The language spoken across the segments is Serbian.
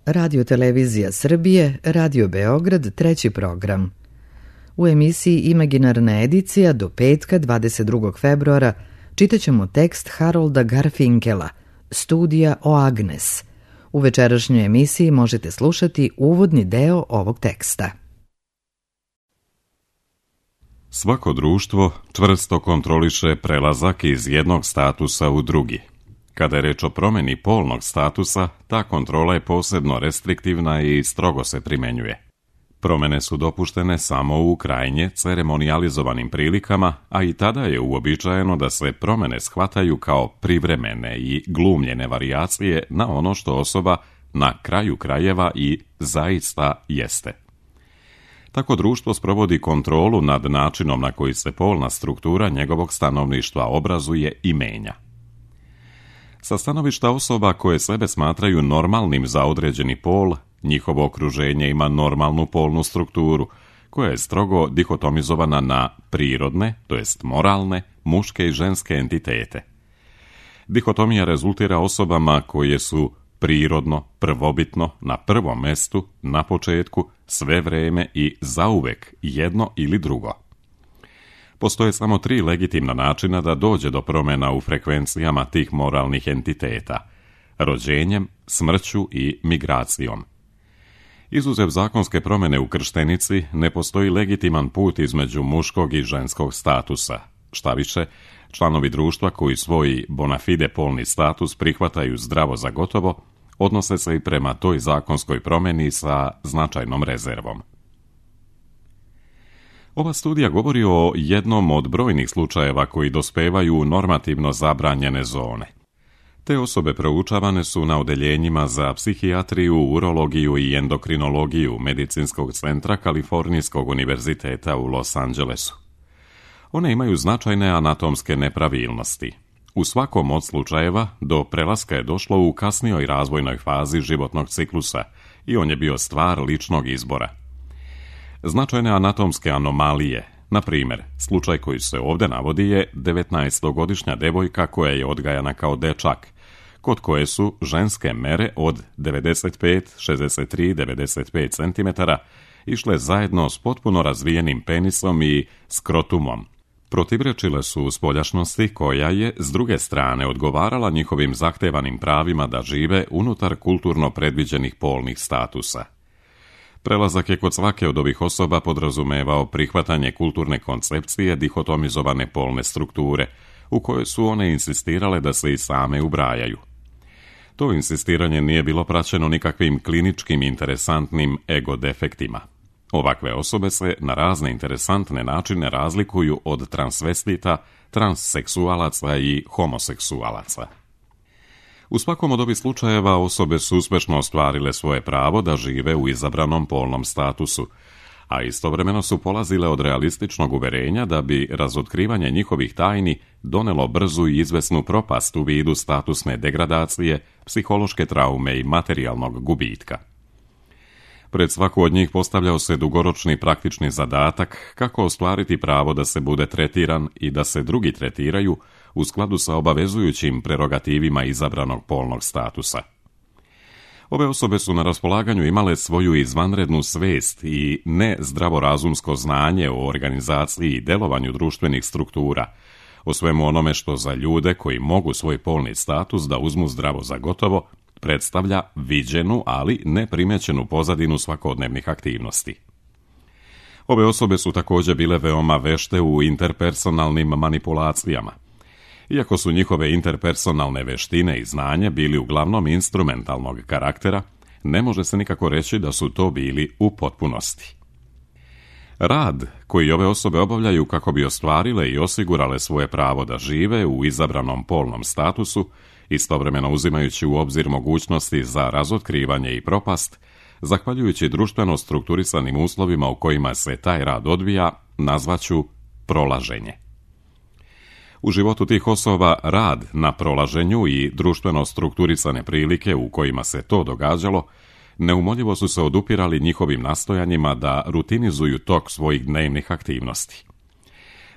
Radio Televizija Srbije, Radio Beograd, treći program. U emisiji Imaginarna edicija do petka 22. februara čitaćemo tekst Harolda Garfinkela, Studija o Agnes. U večerašnjoj emisiji možete slušati uvodni deo ovog teksta. Svako društvo čvrsto kontroliše prelazak iz jednog statusa u drugi. Kada je reč o promjeni polnog statusa, ta kontrola je posebno restriktivna i strogo se primjenjuje. Promjene su dopuštene samo u krajnje ceremonijalizovanim prilikama, a i tada je uobičajeno da se promjene shvataju kao privremene i glumljene varijacije na ono što osoba na kraju krajeva i zaista jeste. Tako društvo sprovodi kontrolu nad načinom na koji se polna struktura njegovog stanovništva obrazuje i menja. Sa stanovišta osoba koje sebe smatraju normalnim za određeni pol, njihovo okruženje ima normalnu polnu strukturu, koja je strogo dihotomizovana na prirodne, to jest moralne, muške i ženske entitete. Dihotomija rezultira osobama koje su prirodno, prvobitno, na prvom mestu, na početku, sve vreme i zauvek jedno ili drugo. Postoje samo 3 legitimna načina da dođe do promjena u frekvencijama tih moralnih entiteta: rođenjem, smrću i migracijom. Izuzev zakonske promjene u krštenici, ne postoji legitiman put između muškog i ženskog statusa. Štaviše, članovi društva koji svoj bona fide polni status prihvataju zdravo za gotovo, odnose se i prema toj zakonskoj promjeni sa značajnom rezervom. Ova studija govori o jednom od brojnih slučajeva koji dospevaju u normativno zabranjene zone. Te osobe proučavane su na odeljenjima za psihijatriju, urologiju i endokrinologiju Medicinskog centra Kalifornijskog univerziteta u Los Angelesu. One imaju značajne anatomske nepravilnosti. U svakom od slučajeva do prelaska je došlo u kasnijoj razvojnoj fazi životnog ciklusa i on je bio stvar ličnog izbora. Značajne anatomske anomalije, na primjer, slučaj koji se ovdje navodi je 19-godišnja devojka koja je odgajana kao dečak, kod koje su ženske mere od 95, 63, 95 cm išle zajedno s potpuno razvijenim penisom i skrotumom. Protivrečile su spoljašnosti koja je, s druge strane, odgovarala njihovim zahtevanim pravima da žive unutar kulturno predviđenih polnih statusa. Prelazak je kod svake od ovih osoba podrazumevao prihvatanje kulturne koncepcije dihotomizovane polne strukture, u kojoj su one insistirale da se i same ubrajaju. To insistiranje nije bilo praćeno nikakvim kliničkim interesantnim ego defektima. Ovakve osobe se na razne interesantne načine razlikuju od transvestita, transseksualaca i homoseksualaca. U svakom od ovih slučajeva osobe su uspešno ostvarile svoje pravo da žive u izabranom polnom statusu, a istovremeno su polazile od realističnog uverenja da bi razotkrivanje njihovih tajni donelo brzu i izvesnu propast u vidu statusne degradacije, psihološke traume i materijalnog gubitka. Pred svaku od njih postavljao se dugoročni praktični zadatak kako ostvariti pravo da se bude tretiran i da se drugi tretiraju u skladu sa obavezujućim prerogativima izabranog polnog statusa. Ove osobe su na raspolaganju imale svoju izvanrednu svest i nezdravorazumsko znanje o organizaciji i delovanju društvenih struktura, o svemu onome što za ljude koji mogu svoj polni status da uzmu zdravo za gotovo, predstavlja viđenu, ali neprimećenu pozadinu svakodnevnih aktivnosti. Ove osobe su također bile veoma vešte u interpersonalnim manipulacijama. Iako su njihove interpersonalne veštine i znanje bili uglavnom instrumentalnog karaktera, ne može se nikako reći da su to bili u potpunosti. Rad koji ove osobe obavljaju kako bi ostvarile i osigurale svoje pravo da žive u izabranom polnom statusu, istovremeno uzimajući u obzir mogućnosti za razotkrivanje i propast, zahvaljujući društveno strukturisanim uslovima u kojima se taj rad odvija, nazvaću prolaženje. U životu tih osoba rad na prolaženju i društveno strukturisane prilike u kojima se to događalo neumoljivo su se odupirali njihovim nastojanjima da rutinizuju tok svojih dnevnih aktivnosti.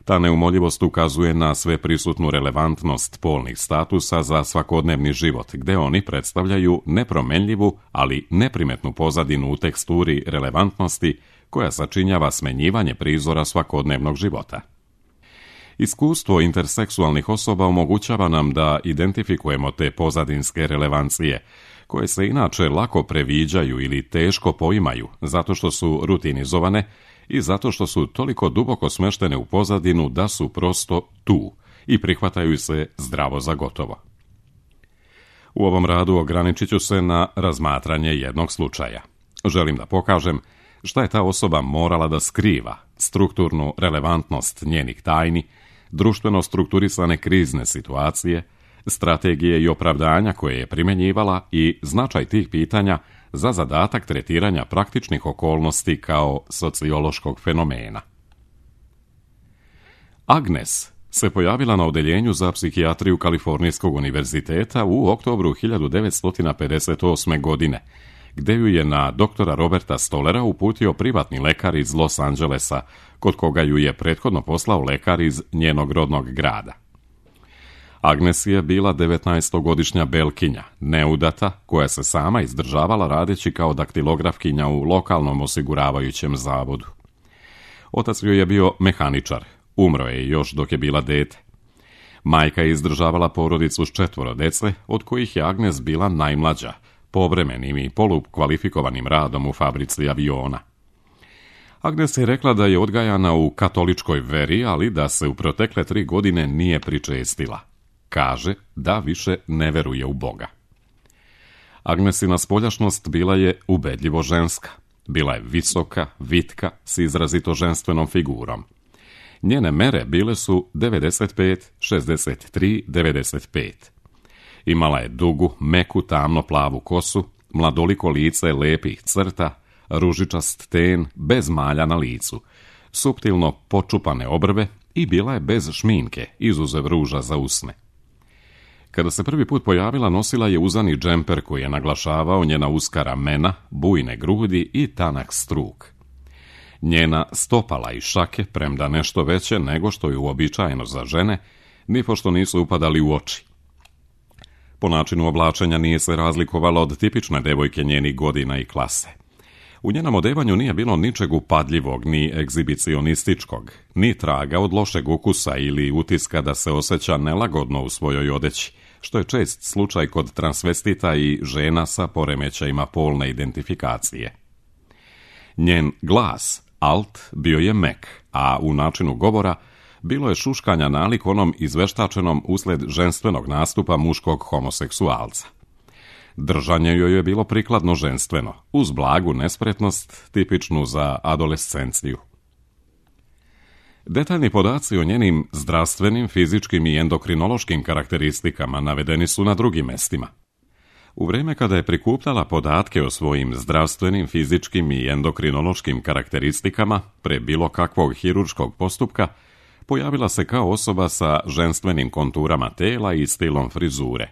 Ta neumoljivost ukazuje na sveprisutnu relevantnost polnih statusa za svakodnevni život, gde oni predstavljaju nepromenljivu, ali neprimetnu pozadinu u teksturi relevantnosti koja sačinjava smenjivanje prizora svakodnevnog života. Iskustvo interseksualnih osoba omogućava nam da identifikujemo te pozadinske relevancije, koje se inače lako previđaju ili teško poimaju, zato što su rutinizovane i zato što su toliko duboko smeštene u pozadinu da su prosto tu i prihvataju se zdravo za gotovo. U ovom radu ograničit ću se na razmatranje jednog slučaja. Želim da pokažem šta je ta osoba morala da skriva, strukturnu relevantnost njenih tajni, društveno strukturisane krizne situacije, strategije i opravdanja koje je primjenjivala i značaj tih pitanja za zadatak tretiranja praktičnih okolnosti kao sociološkog fenomena. Agnes se pojavila na odeljenju za psihijatriju Kalifornijskog univerziteta u oktobru 1958. godine, gde ju je na doktora Roberta Stolera uputio privatni lekar iz Los Angelesa, kod koga ju je prethodno poslao lekar iz njenog rodnog grada. Agnes je bila 19-godišnja belkinja, neudata, koja se sama izdržavala radeći kao daktilografkinja u lokalnom osiguravajućem zavodu. Otac joj je bio mehaničar, umro je još dok je bila dete. Majka je izdržavala porodicu s 4 dece, od kojih je Agnes bila najmlađa, povremenim i polukvalifikovanim radom u fabrici aviona. Agnes je rekla da je odgajana u katoličkoj veri, ali da se u protekle 3 godine nije pričestila. Kaže da više ne veruje u Boga. Agnesina spoljašnost bila je ubedljivo ženska. Bila je visoka, vitka, s izrazito ženstvenom figurom. Njene mere bile su 95, 63, 95. Imala je dugu, meku, tamno plavu kosu, mladoliko lice lepih crta, ružičast ten bez malja na licu, suptilno počupane obrve i bila je bez šminke, izuzev ruža za usne. Kada se prvi put pojavila, nosila je uzani džemper koji je naglašavao njena uska ramena, bujne grudi i tanak struk. Njena stopala i šake, premda nešto veće nego što je uobičajeno za žene, nipošto nisu upadali u oči. Po načinu oblačenja nije se razlikovala od tipične devojke njenih godina i klase. U njenom odevanju nije bilo ničeg upadljivog, ni egzibicionističkog, ni traga od lošeg ukusa ili utiska da se osjeća nelagodno u svojoj odeći, što je čest slučaj kod transvestita i žena sa poremećajima polne identifikacije. Njen glas, alt, bio je mek, a u načinu govora bilo je šuškanja nalik onom izveštačenom usled ženstvenog nastupa muškog homoseksualca. Držanje joj je bilo prikladno ženstveno, uz blagu nespretnost tipičnu za adolescenciju. Detaljni podaci o njenim zdravstvenim, fizičkim i endokrinološkim karakteristikama navedeni su na drugim mestima. U vrijeme kada je prikupljala podatke o svojim zdravstvenim, fizičkim i endokrinološkim karakteristikama pre bilo kakvog hirurškog postupka, pojavila se kao osoba sa ženstvenim konturama tela i stilom frizure.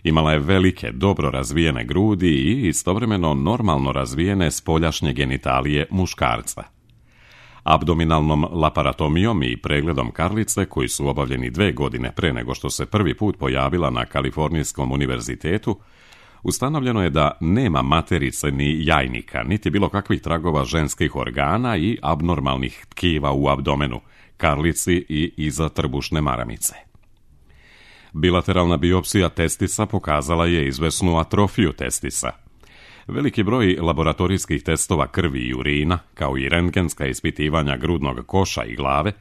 Imala je velike, dobro razvijene grudi i istovremeno normalno razvijene spoljašnje genitalije muškarca. Abdominalnom laparatomijom i pregledom karlice, koji su obavljeni 2 godine pre nego što se prvi put pojavila na Kalifornijskom univerzitetu, ustanovljeno je da nema materice ni jajnika, niti bilo kakvih tragova ženskih organa i abnormalnih tkiva u abdomenu, karlici i iza trbušne maramice. Bilateralna biopsija testisa pokazala je izvesnu atrofiju testisa. Veliki broj laboratorijskih testova krvi i urina, kao i rentgenska ispitivanja grudnog koša i glave,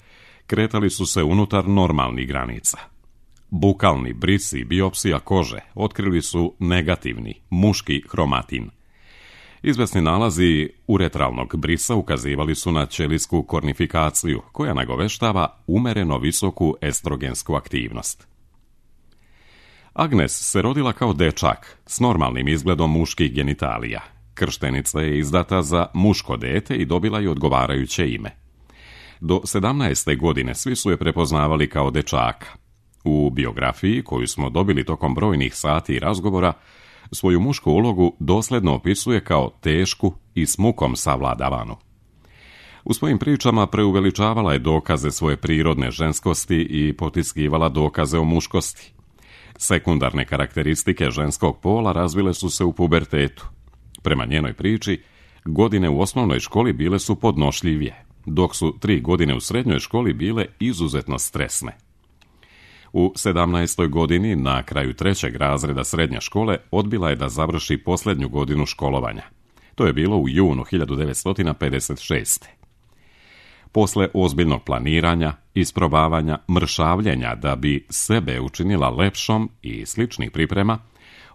kretali su se unutar normalnih granica. Bukalni bris i biopsija kože otkrili su negativni, muški hromatin. Izvesni nalazi uretralnog brisa ukazivali su na ćelijsku kornifikaciju, koja nagoveštava umereno visoku estrogensku aktivnost. Agnes se rodila kao dečak, s normalnim izgledom muških genitalija. Krštenica je izdata za muško dete i dobila je odgovarajuće ime. Do 17. godine svi su je prepoznavali kao dečaka. U biografiji, koju smo dobili tokom brojnih sati i razgovora, svoju mušku ulogu dosledno opisuje kao tešku i s mukom savladavanu. U svojim pričama preuveličavala je dokaze svoje prirodne ženskosti i potiskivala dokaze o muškosti. Sekundarne karakteristike ženskog pola razvile su se u pubertetu. Prema njenoj priči, godine u osnovnoj školi bile su podnošljivije, dok su 3 godine u srednjoj školi bile izuzetno stresne. U 17. godini, na kraju 3. razreda srednje škole, odbila je da završi posljednju godinu školovanja. To je bilo u junu 1956. Posle ozbiljnog planiranja, isprobavanja, mršavljenja da bi sebe učinila lepšom i sličnih priprema,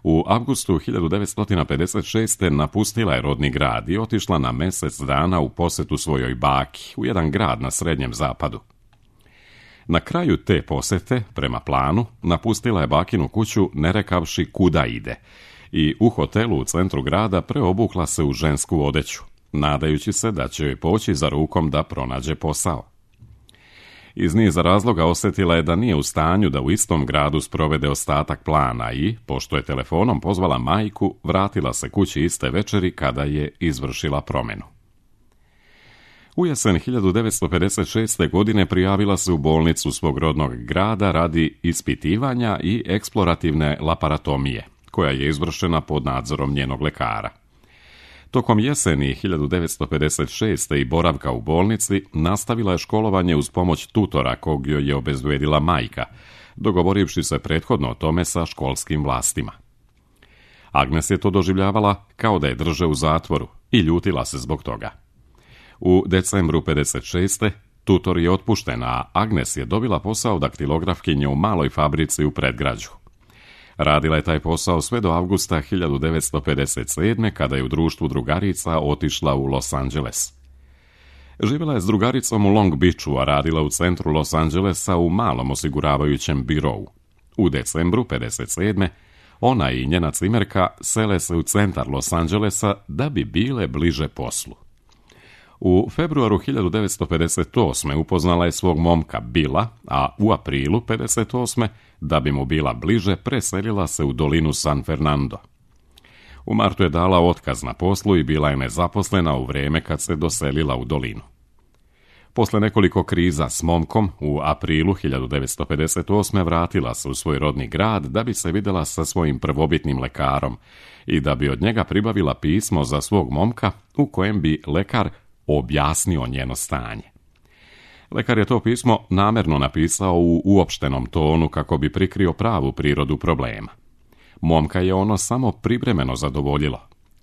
u avgustu 1956. napustila je rodni grad i otišla na mjesec dana u posjetu svojoj baki u jedan grad na Srednjem zapadu. Na kraju te posjete, prema planu, napustila je bakinu kuću ne rekavši kuda ide i u hotelu u centru grada preobukla se u žensku odeću, nadajući se da će joj poći za rukom da pronađe posao. Iz niza razloga osjetila je da nije u stanju da u istom gradu sprovede ostatak plana i, pošto je telefonom pozvala majku, vratila se kući iste večeri kada je izvršila promjenu. U jesen 1956. godine prijavila se u bolnicu svog rodnog grada radi ispitivanja i eksplorativne laparatomije, koja je izvršena pod nadzorom njenog lekara. Tokom jeseni 1956. i boravka u bolnici nastavila je školovanje uz pomoć tutora kog joj je obezbedila majka, dogovorivši se prethodno o tome sa školskim vlastima. Agnes je to doživljavala kao da je drže u zatvoru i ljutila se zbog toga. U decembru 56. tutor je otpušten, a Agnes je dobila posao daktilografkinje u maloj fabrici u predgrađu. Radila je taj posao sve do avgusta 1957. kada je u društvu drugarica otišla u Los Angeles. Živjela je s drugaricom u Long Beachu, a radila u centru Los Angelesa u malom osiguravajućem birovu. U decembru 1957. ona i njena cimerka sele se u centar Los Angelesa da bi bile bliže poslu. U februaru 1958. upoznala je svog momka Billa, a u aprilu 1958. da bi mu bila bliže, preselila se u dolinu San Fernando. U martu je dala otkaz na poslu i bila je nezaposlena u vrijeme kad se doselila u dolinu. Posle nekoliko kriza s momkom, u aprilu 1958. vratila se u svoj rodni grad da bi se vidjela sa svojim prvobitnim lekarom i da bi od njega pribavila pismo za svog momka u kojem bi lekar objasnio njeno stanje. Lekar je to pismo namjerno napisao u uopštenom tonu kako bi prikrio pravu prirodu problema. Momka je ono samo privremeno zadovoljilo.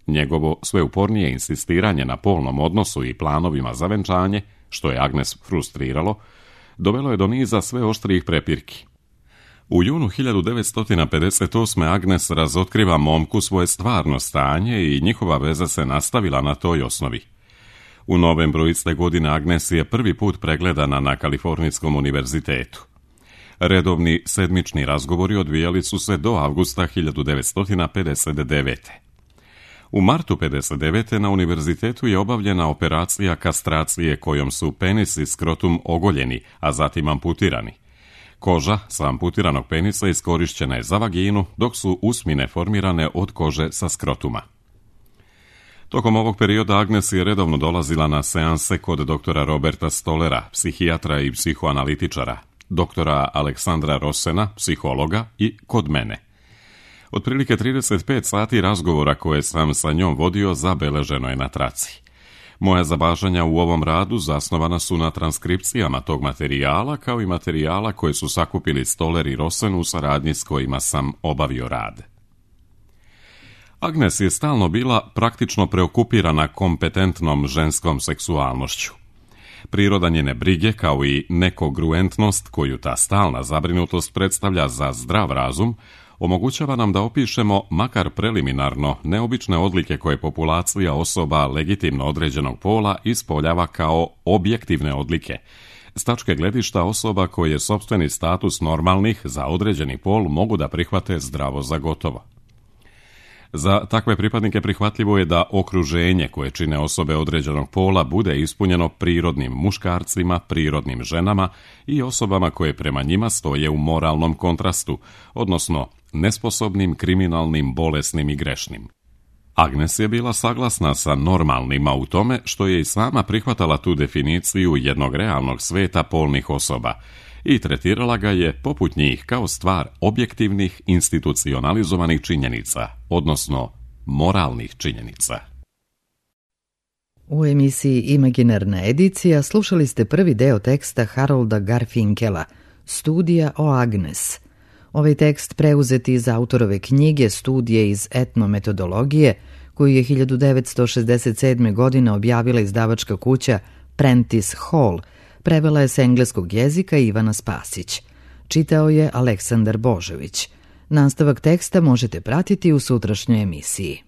Njegovo sve upornije insistiranje na polnom odnosu i planovima za venčanje, što je Agnes frustriralo, dovelo je do niza sve oštrijih prepirki. U junu 1958. Agnes razotkriva momku svoje stvarno stanje i njihova veza se nastavila na toj osnovi. U novembru iste godine Agnes je prvi put pregledana na Kalifornijskom univerzitetu. Redovni sedmični razgovori odvijali su se do avgusta 1959. U martu 1959. na univerzitetu je obavljena operacija kastracije kojom su penis i skrotum ogoljeni, a zatim amputirani. Koža sa amputiranog penisa iskorišćena je za vaginu, dok su usmine formirane od kože sa skrotuma. Tokom ovog perioda Agnes je redovno dolazila na seanse kod doktora Roberta Stollera, psihijatra i psihoanalitičara, doktora Aleksandra Rossena, psihologa i kod mene. Otprilike 35 sati razgovora koje sam sa njom vodio zabeleženo je na traci. Moja zapažanja u ovom radu zasnovana su na transkripcijama tog materijala, kao i materijala koje su sakupili Stoller i Rossen u saradnji s kojima sam obavio rad. Agnes je stalno bila praktično preokupirana kompetentnom ženskom seksualnošću. Priroda njene brige, kao i nekongruentnost koju ta stalna zabrinutost predstavlja za zdrav razum, omogućava nam da opišemo, makar preliminarno, neobične odlike koje populacija osoba legitimno određenog pola ispoljava kao objektivne odlike, s tačke gledišta osoba koje sopstveni status normalnih za određeni pol mogu da prihvate zdravo za gotovo. Za takve pripadnike prihvatljivo je da okruženje koje čine osobe određenog pola bude ispunjeno prirodnim muškarcima, prirodnim ženama i osobama koje prema njima stoje u moralnom kontrastu, odnosno nesposobnim, kriminalnim, bolesnim i grešnim. Agnes je bila saglasna sa normalnima u tome što je i sama prihvatala tu definiciju jednog realnog sveta polnih osoba i tretirala ga je poput njih kao stvar objektivnih institucionalizovanih činjenica, odnosno moralnih činjenica. U emisiji Imaginarna edicija slušali ste prvi deo teksta Harolda Garfinkela, Studija o Agnes. Ovaj tekst preuzeti iz autorove knjige Studije iz etnometodologije, koju je 1967. godine objavila izdavačka kuća Prentice Hall, prevela je s engleskog jezika Ivana Spasić. Čitao je Aleksandar Božović. Nastavak teksta možete pratiti u sutrašnjoj emisiji.